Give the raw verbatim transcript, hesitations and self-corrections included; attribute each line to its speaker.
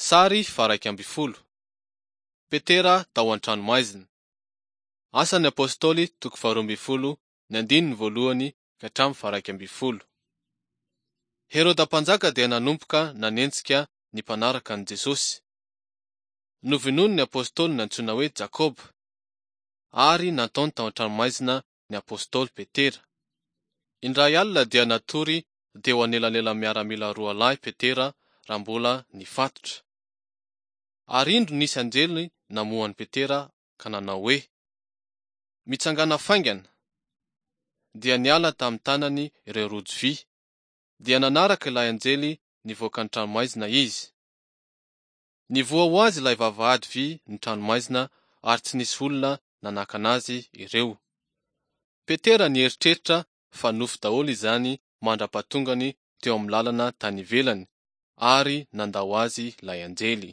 Speaker 1: Sary faha-iraika ambin'ny folo. Petera tao an-tranomaizina. Asan'ny Apostoly toko faharoa ambin'ny folo ny andininy voalohany ka hatramin'ny faha-iraika ambin'ny folo. Heroda mpanjaka dia nanomboka nanenjika ny mpanaraka an'i Jesosy. Novonoiny ny apostoly nantsoina hoe Jakoba ary nataony tao an-tranomaizina ny apostoly Petera. Indray alina dia natory teo anelanelan'ny miaramila roa lahy Petera raha mbola nifatotra. Ary indro nisy anjely namoha an'i Petera ka nanao hoe: "Mitsangàna faingana!" Dia niala tamin'ny tanany ireo rojo vy. Dia nanaraka ilay anjely nivoaka ny tranomaizina izy. Nivoha ho azy ilay vavahady vy ny tranomaizina ary tsy nisy olona nanakana azy ireo. Petera nieritreritra fa nofy daholo izany mandra-pahatongany teo amin'ny lalana tany ivelany ary nandao azy ilay anjely.